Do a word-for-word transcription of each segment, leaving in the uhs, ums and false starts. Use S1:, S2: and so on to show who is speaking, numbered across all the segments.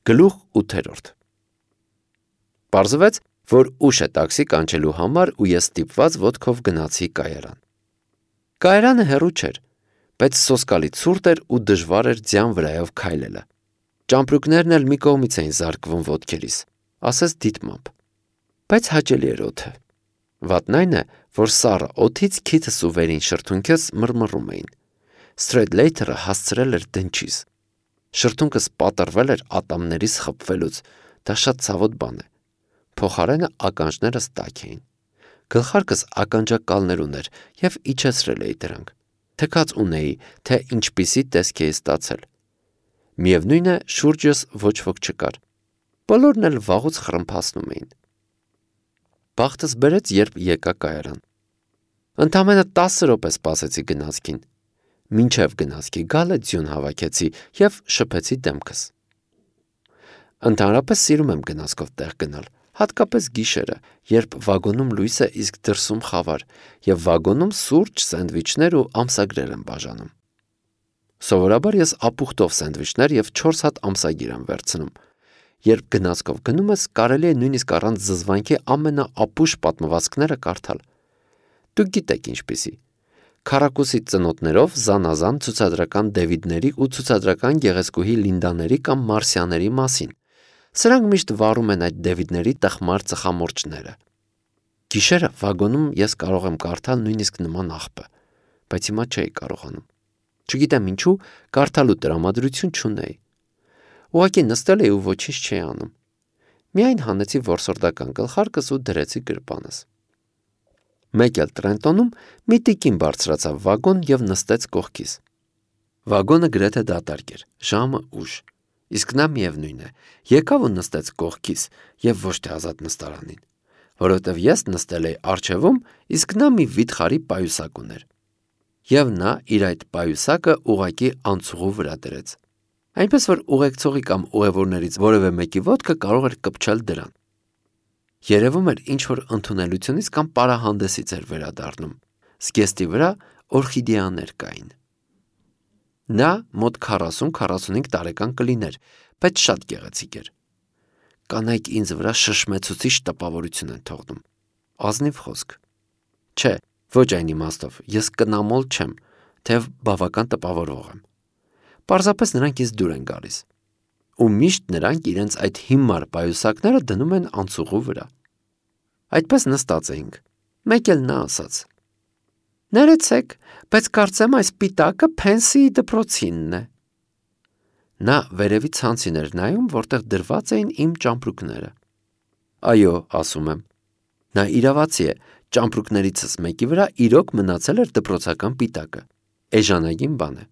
S1: Գլուխ ութերորդ Պարզվեց, որ ուշ է տաքսի կանչելու համար ու ես ստիպված ոտքով գնացի կայարան։ Կայարանը հեռու չէր, բայց սոսկալի ցուրտ էր ու դժվար էր ձյան վրայով քայլելը։ Ճամպրուկներն էլ մի կողմից էին զարկվում ոտքերիս, ասես դիտմամբ, բայց հաճելի էր օդը։ Վատն այն է, որ սառը օդից քիթս ու վերին շրթունքս մռմռում էին։ Սթրեյթլեյթերը հասցրել էր դնչիս։ Շրթունքս պատռվել էր ատամներիս խփվելուց, դա շատ ցավոտ բան է։ Փոխարենը ականջներս տաք էին։ Գլխարկս ականջակալներ ուներ և իջեցրել էի դրանք։ Թքած ունեի, թե ինչպիսի տեսք էի ստացել։ Միևնույն է, շուրջս ոչ ոք չկար։ Բոլորն էլ վաղուց խռմփացնում էին։ Բախտս բերեց, երբ եկա կայարան։ Ընդամենը տասը րոպե սպասեցի գնացքին։ Մինչև գնացքի գալը ձյուն հավաքեցի և շփեցի դեմքս։ Ընդհանրապես սիրում եմ գնացքով տեղ գնալ, հատկապես գիշերը, երբ վագոնում լույս է, իսկ դրսում խավար, և վագոնում սուրճ, սենդվիչներ ու ամսագրեր եմ բաժանում։ Սովորաբար ես ապուխտով սենդվիչներ և չորս հատ ամսագիր եմ վերցնում։ Երբ գնացքով գնում ես, կարելի է նույնիսկ առանց զզվանքի ամենաապուշ պատմվածքները կարդալ։ Դուք գիտեք ինչպիսի։ Քառակուսի ծնոտներով զանազան ցուցադրական Դեվիդների ու ցուցադրական գեղեցկուհի Լինդաների կամ Մարսիաների մասին։ Սրանք միշտ վառում են այդ Դեվիդների տխմար ծխամորճները։ Գիշերը վագոնում ես կարող եմ կարդալ նույնիսկ նման աղբը, բայց հիմա չէի կարողանում։ Չգիտեմ ինչու, կարդալու տրամադրություն չունեի։ Ուղղակի նստել էի ու ոչինչ չէի անում։ Միայն հանեցի որսորդական գլխարկս ու դրեցի գրպանս։ Մեկ էլ Տրենտոնում մի տիկին բարձրացավ վագոն և նստեց կողքիս։ Վագոնը գրեթե դատարկ էր, ժամը ուշ, իսկ նա միևնույն է, եկավ ու նստեց կողքիս և ոչ թե ազատ նստարանին, որովհետև ես նստել էի առջևում, իսկ նա մի վիթխարի պայուսակ ուներ։ Եվ նա իր այդ պայուսակը ուղղակի անցուղու վրա դրեց։ Այնպես որ ուղեկցողի կամ ուղևորներից որևէ մեկի ոտքը կարող էր կպչել դրան։ Երևում էր ինչ-որ ընդունելությունից կամ պարահանդեսից էր վերադառնում։ Զգեստի վրա օրխիդեաներ կային։ Նա մոտ քառասուն-քառասունհինգ տարեկան կլիներ, բայց շատ գեղեցիկ էր։ Կանայք ինձ վրա շշմեցուցիչ տպավորություն են թողնում։ Ազնիվ խոսք։ Չէ, ոչ այն իմաստով, ես կնամոլ չեմ, թեև բավական տպավորվող եմ։ Պարզապես նրանք ինձ դուր են գալիս։ Ու միշտ նրանք իրենց այդ հիմար պայուսակները դնում են անցուղու վրա։ Այդպես նստած էինք։ Մեկ էլ նա ասաց. «Ներեցեք, բայց կարծեմ այս պիտակը Փենսիի դպրոցինն է»։ Նա վերևի ցանցին էր նայում, որտեղ դրված էին իմ ճամպրուկները։ Այո, ասում եմ։ Նա իրավացի է, ճամպրուկներիցս մեկի վրա իրոք մնացել էր դպրոցական պիտակը։ Էժանագին բան է։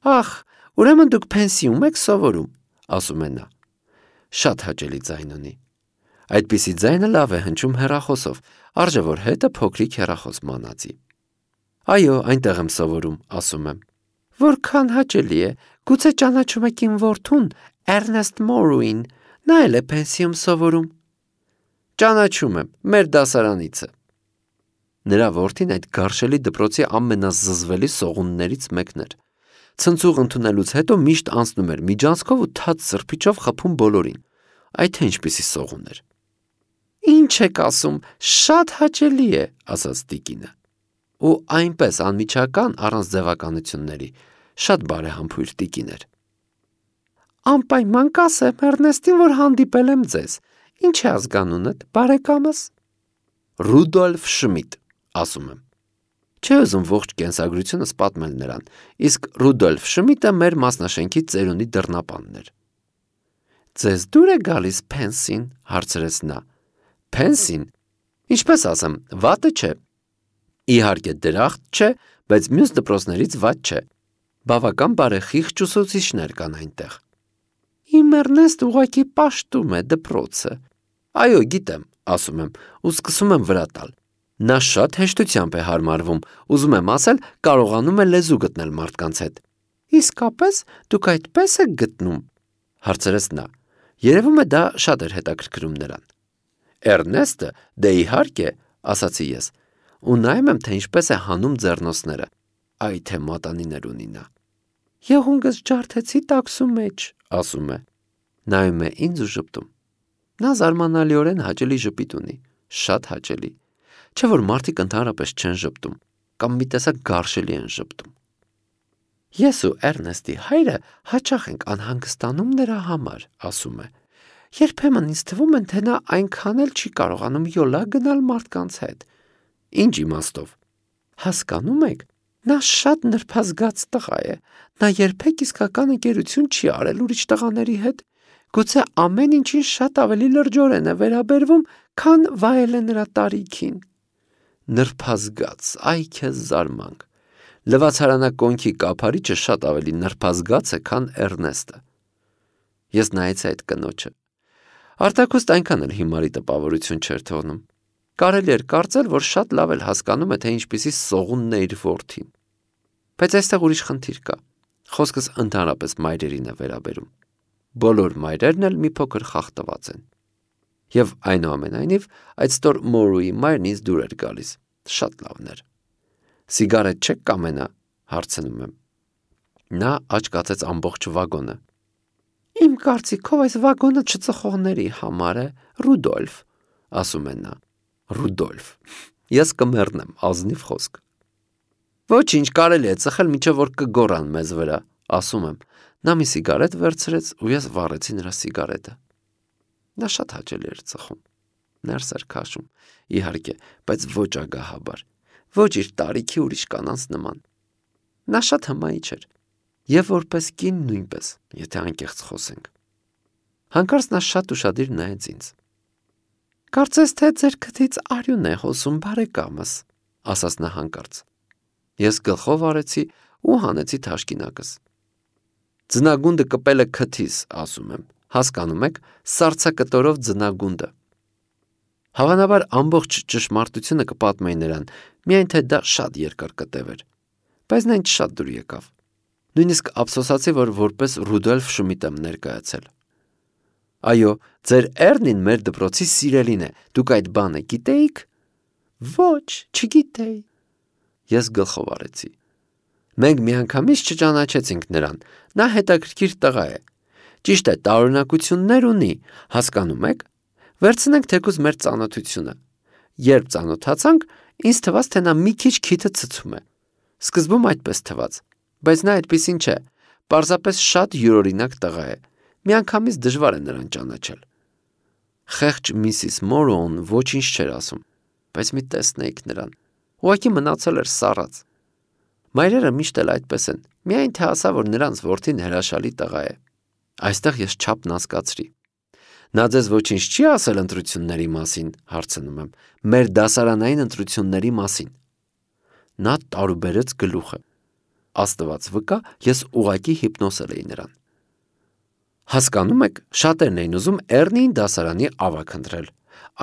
S1: Ախ, ուրեմն դուք Փենսիում եք սովորում, ասում է նա։ Շատ հաճելի ձայն ունի։ Այդպիսի ձայնը լավ է հնչում հեռախոսով, արժե որ հետը փոքրիկ հեռախոս մանածի։ Այո, այնտեղ եմ սովորում, ասում եմ։ Որքան հաճելի է, գուցե ճանաչում եք իմ որդուն, Էրնեստ Մորուին, նա էլ է Փենսիում սովորում։ Ճանաչում եմ, մեր դասարանիցը։ Նրա որդին այդ գարշելի դպրոցի ամենազզվելի սողուններից մեկն էր։ Ցնցուղ ընդունելուց հետո միշտ անցնում էր միջանցքով ու թաց սրբիչով խփում բոլորին։ Այդ թե ինչպիսի սողուն էր։ Ինչ եք ասում, շատ հաճելի է, ասաց տիկինը։ Ու այնպես անմիջական առանց ձևականությունների, շատ բարեհամբույր տիկին էր։ Անպայման կասեմ Էրնեստին, որ հանդիպել եմ ձեզ։ Ինչ է ազգանունդ, բարեկամս։ Ռուդոլֆ Շմիդ, ասում եմ։ Չէ ուզում ողջ կենսագրությունս պատմել նրան, իսկ Ռուդոլֆ Շմիդը մեր մասնաշենքի ծերունի դռնապանն էր։ Ձեզ դուր է գալիս Փենսին, հարցրեց նա։ Փենսին, ինչպես ասեմ, վատը չէ։ Իհարկե դրախտ չէ, բայց մյուս դպրոցներից վատ չէ։ Բավական բարեխիղճ ուսուցիչներ կան այնտեղ։ Իմ Էրնեստ ուղղակի պաշտում է դպրոցը։ Այո, գիտեմ, ասում եմ, ու սկսում եմ վրա տալ։ Նա շատ հեշտությամբ է հարմարվում, ուզում եմ ասել, կարողանում է լեզու գտնել մարդկանց հետ։ Իսկապես դուք այդպես եք գտնում, հարցրեց նա։ Երևում է դա շատ էր հետաքրքրում նրան։ Էրնեստը, դե իհարկե, ասացի ես, ու նայում եմ, թե ինչպես է հանում ձեռնոցները։ Այ թե մատանիներ ունի նա։ Եղունգս ջարդեցի տաքսու մեջ, ասում է։ Նայում է ինձ ու ժպտում։ Նա զարմանալիորեն հաճելի ժպիտ ունի, շատ հաճելի, չէ որ մարդիկ ընդհանրապես չեն ժպտում, կամ մի տեսակ գարշելի են ժպտում։ Ես ու Էրնեստի հայրը հաճախ ենք անհանգստանում նրա համար, ասում է։ Երբեմն ինձ թվում է, թե նա այնքան էլ չի կարողանում յոլա գնալ մարդկանց հետ։ Ինչ իմաստով։ Հասկանում եք, նա շատ նրբազգաց տղա է, նա երբեք իսկական ընկերություն չի արել ուրիշ տղաների հետ, գուցե ամեն ինչին շատ ավելի լրջորեն է վերաբերվում, քան վայել է նրա տարիքին։ Նրբազգաց, այ քեզ զարմանք։ Լվացարանակոնքի կափարիչը շատ ավելի նրբազգաց է, քան Էրնեստը։ Ես նայեցի այդ կնոջը։ Արտակուստ այնքան էլ հիմարի տպավորություն չէր թողնում։ Կարելի էր կարծել, որ շատ լավ էլ հասկանում է, թե ինչպիսի սողունն է իր որդին։ Բայց այստեղ ուրիշ խնդիր կա։ Խոսքս ընդհանրապես մայրերին է վերաբերում։ Բոլոր մայրերն էլ մի փոքր խախտված են։ Եվ այնուամենայնիվ այդ ստոր Մորուի մայրն ինձ դուր էր գալիս։ Շատ լավն էր։ Սիգարետ չեք կամենա, հարցնում եմ։ Նա աչքացեց ամբողջ վագոնը։ Իմ կարծիքով այս վագոնը չծխողների համար է, Ռուդոլֆ, ասում է նա։ Ռուդոլֆ։ Ես կմեռնեմ, ազնիվ խոսք։ Ոչինչ, կարելի է ծխել, մինչև որ կգոռան մեզ վրա, ասում եմ։ Նա մի սիգարետ վերցրեց ու ես վառեցի նրա սիգարետը։ Նա շատ հաճելի էր ծխում։ Ներս էր քաշում, իհարկե, բայց ոչ ագահաբար, ոչ իր տարիքի ուրիշ կանանց նման։ Նա շատ հմայիչ էր, եւ որպես կին նույնպես, եթե անկեղծ խոսենք։ Հանկարծ նա շատ ուշադիր նայեց ինձ։ Կարծես թե ձեր քթից արյուն է հոսում, բարեկամս, ասաց նա հանկարծ։ Ես գլխով արեցի ու հանեցի թաշկինակս։ Ձնագունդը կպել է քթիս, ասում եմ, հասկանում եք, սառցակտորով ձնագունդը։ Հավանաբար ամբողջ ճշմարտությունը կպատմեի նրան, միայն թե դա շատ երկար կտև էր, բայց նա ինձ շատ դուր եկավ։ Նույնիսկ ափսոսացի, որ որպես Ռուդոլֆ Շմիտ եմ ներկայացել։ Այո, ձեր Էրնին մեր դպրոցի սիրելին է, դուք այդ բանը գիտեիք։ Ոչ, չգիտեի։ Ես գլխով արեցի։ Մենք միանգամից չճանաչեցինք նրան, նա հետաքրքիր տղա է։ Ճիշտ է, տարօրինակություններ ունի, հասկանում եք։ Վերցնենք թեկուզ մեր ծանոթությունը։ Երբ ծանոթացանք, ինձ թվաց, թե նա մի քիչ քիթը ցցում է։ Սկզբում այդպես թվաց, բայց նա այդպեսին չէ, պարզապես շատ յուրօրինակ տղա է։ Միանգամից դժվար է նրան ճանաչել։ Խեղճ միսիս Մորոուն ոչինչ չէր ասում, բայց մի տեսնեիք նրան։ Ուղղակի մնացել էր սառած։ Մայրերը միշտ էլ այդպես են, միայն թե ասա, որ նրանց որդին հրաշալի տղա է։ Այստեղ ես չափն հասկացրի։ Նա ձեզ ոչինչ չի ասել ընտրությունների մասին, հարցնում եմ, մեր դասարանային ընտրությունների մասին։ Նա տարուբերեց գլուխը։ Աստված վկա, ես ուղղակի հիպնոսել էի նրան։ Հասկանում եք, շատերն էին ուզում Էրնիին դասարանի ավագ ընտրել։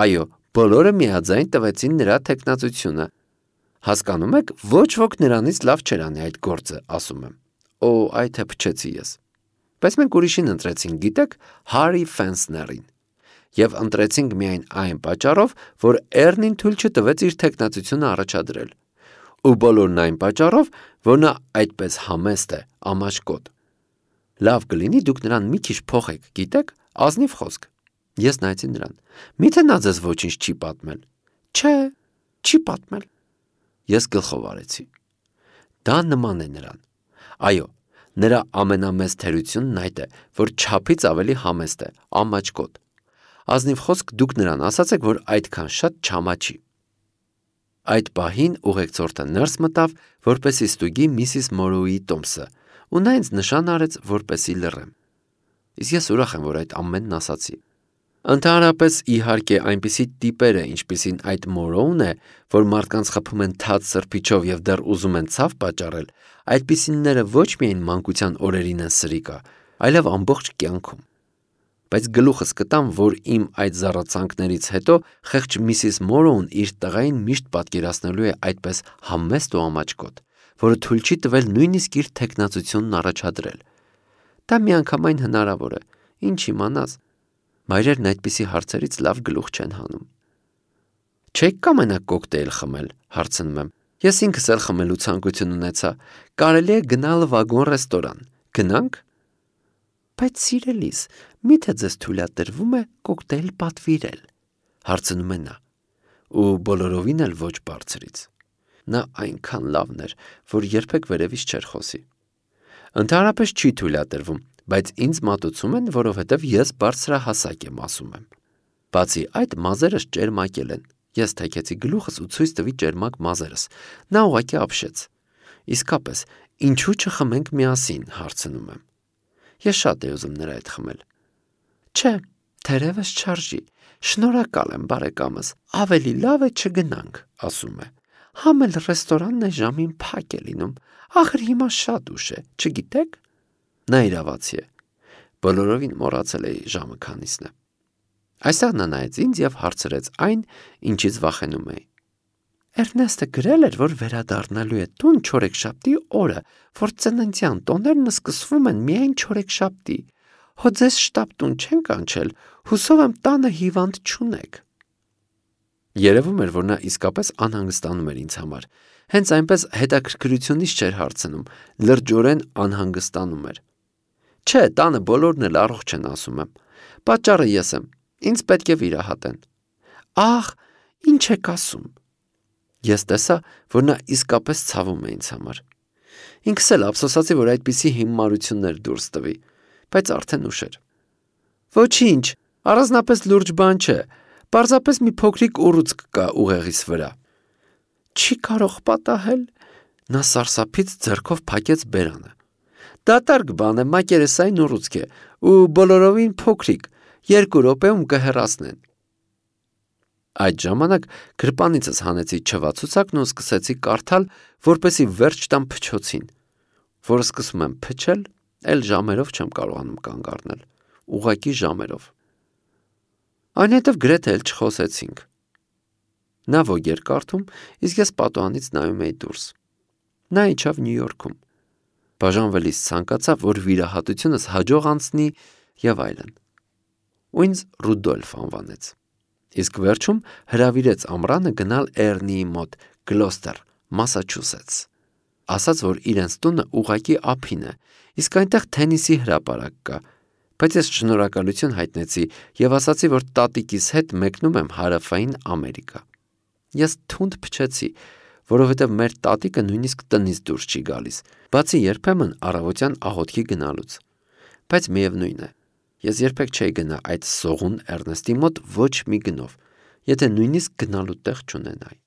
S1: Այո, բոլորը միաձայն տվեցին նրա թեկնածությունը։ Հասկանում եք, ոչ ոք նրանից լավ չէր անի այդ գործը, ասում եմ։ Օ, այ թե փչեցի ես։ Բայց մենք ուրիշին ընտրեցինք, գիտեք, Հարի Ֆենսներին։ Եվ ընտրեցինք միայն այն պատճառով, որ Էրնին թույլ չտվեց իր թեկնածությունը առաջադրել։ Ու բոլորն այն պատճառով, որ նա այդպես համեստ է, ամաչկոտ։ Լավ կլինի դուք նրան մի քիչ փոխեք, գիտեք, ազնիվ խոսք։ Ես նայեցի նրան։ Միթե նա ձեզ ոչինչ չի պատմել։ Չէ, չի պատմել։ Ես գլխով արեցի։ Դա նման է նրան։ Այո, նրա ամենամեծ թերությունն այդ է, որ չափից ավելի համեստ է, ամաչկոտ։ Ազնիվ խոսք դուք նրան ասացեք, որ այդքան շատ չամաչի։ Այդ պահին ուղեկցորդը ներս մտավ, որպեսի ստուգի միսիս Մորուի տոմսը, ու նա ինձ նշան արեց, որպեսի լռեմ։ Իսկ ես ուրախ եմ, որ այդ ամենն ասացի։ Ընդհանրապես, իհարկե, այնպիսի տիպերը, ինչպիսին այդ Մորոուն է, որ մարդկանց խփում են թաց սրբիչով եւ դեռ ուզում են ցավ պատճառել, այդպիսինները ոչ միայն մանկության օրերին են սրիկա, այլև ամբողջ կյանքում։ Բայց գլուխս կտամ, որ իմ այդ զառացանքներից հետո խեղճ միսիս Մորոուն իր տղային միշտ պատկերացնելու է այդպես համեստ ու ամաչկոտ, որը թույլ չի տվել նույնիսկ իր թեկնածությունն առաջադրել։ Դա միանգամայն հնարավոր է, ինչ իմանաս։ Մայրերն այդպիսի հարցերից լավ գլուխ չեն հանում։ Չեք կամենա կոկտեյլ խմել, հարցնում եմ։ Ես ինքս էլ խմելու ցանկություն ունեցա։ Կարելի է գնալ վագոն ռեստորան։ Գնանք։ Բայց սիրելիս, միթե ձեզ թույլատրվում է կոկտեյլ պատվիրել, հարցնում է նա, ու բոլորովին էլ ոչ բարձրից։ Նա այնքան լավն էր, որ երբեք վերևից չէր խոսի։ Ընդհանրապես չի թույլատրվում, բայց ինձ մատուցում են, որովհետև ես բարձրահասակ եմ, ասում եմ։ Բացի այդ, մազերս ճերմակել են։ Ես թեքեցի գլուխս ու ցույց տվի ճերմակ մազերս։ Նա ուղղակի ապշեց։ Իսկապես, ինչու չխմենք միասին, հարցնում եմ։ Ես շատ էի ուզում նրա հետ խմել։ Չէ, թերևս չարժի։ Շնորհակալ եմ, բարեկամս, ավելի լավ է չգնանք, ասում է։ Համ էլ ռեստորանն այս ժամին փակ է լինում։ Ախր հիմա շատ ուշ է, չգիտեք։ Նա իրավացի է։ Բոլորովին մոռացել էի ժամը քանիսն է։ Այստեղ նա նայեց ինձ և հարցրեց այն, ինչից վախենում էի։ Էրնեստը գրել էր, որ վերադառնալու է տուն չորեքշաբթի օրը, որ ծննդյան տոներն սկսվում են միայն չորեքշաբթի։ Հո ձեզ շտապ տուն չեն կանչել, հուսով եմ տանը հիվանդ չունեք։ Երևում էր, որ նա իսկապես անհանգստանում էր ինձ համար։ Հենց այնպես հետաքրքրությունից չէր հարցնում, լրջորեն անհանգստանում էր։ Չէ, տանը բոլորն էլ առողջ են, ասում եմ։ Պատճառը ես եմ, ինձ պետք է վիրահատեն։ Ախ, ինչ եք ասում։ Ես տեսա, որ նա իսկապես ցավում է ինձ համար։ Ինքս էլ ափսոսացի, որ այդպիսի հիմարություններ դուրս տվի, բայց արդեն ուշ էր։ Ոչինչ, առանձնապես լուրջ բան չէ, պարզապես մի փոքրիկ ուռուցք կա ուղեղիս վրա։ Չի կարող պատահել։ Նա սարսափից ձեռքով փակեց բերանը։ Դատարկ բան է, մակերեսային ուռուցք է, ու բոլորովին փոքրիկ, երկու րոպեում կհեռացնեն։ Այդ ժամանակ գրպանիցս հանեցի չվացուցակն ու սկսեցի կարդալ, որպեսզի վերջ տամ փչոցին, որ սկսում եմ փչել, էլ ժամերով չեմ կարողանում կանգ առնել, ուղղակի ժամերով։ Այնուհետև գրեթե էլ չխոսեցինք։ Նա ոք էր կարդում, իսկ ես պատուհանից նայում էի դուրս։ Նա իջավ Նյու Յորքում։ Բաժանվելիս ցանկացավ, որ վիրահատությունս հաջող անցնի եւ այլն։ Ու ինձ Ռուդոլֆ անվանեց։ Իսկ վերջում հրավիրեց ամռանը գնալ Էրնիի մոտ, Գլոստեր, Մասաչուսեթս։ Ասաց, որ իրենց տունը ուղղակի ափին է, իսկ այնտեղ թենիսի հրապարակ կա, բայց ես շնորհակալություն հայտնեցի եւ ասացի, որ տատիկիս հետ մեկնում եմ Հարավային Ամերիկա։ Ես թունդ փչեցի, որովհետև մեր տատիկը նույնիսկ տնից դուրս չի գալիս, բացի երբեմն առավոտյան աղոթքի գնալուց։ Բայց միևնույն է, ես երբեք չէի գնա այդ սողուն Էրնեստի մոտ ոչ մի գնով, եթե նույնիսկ գնալու տեղ չունենայի։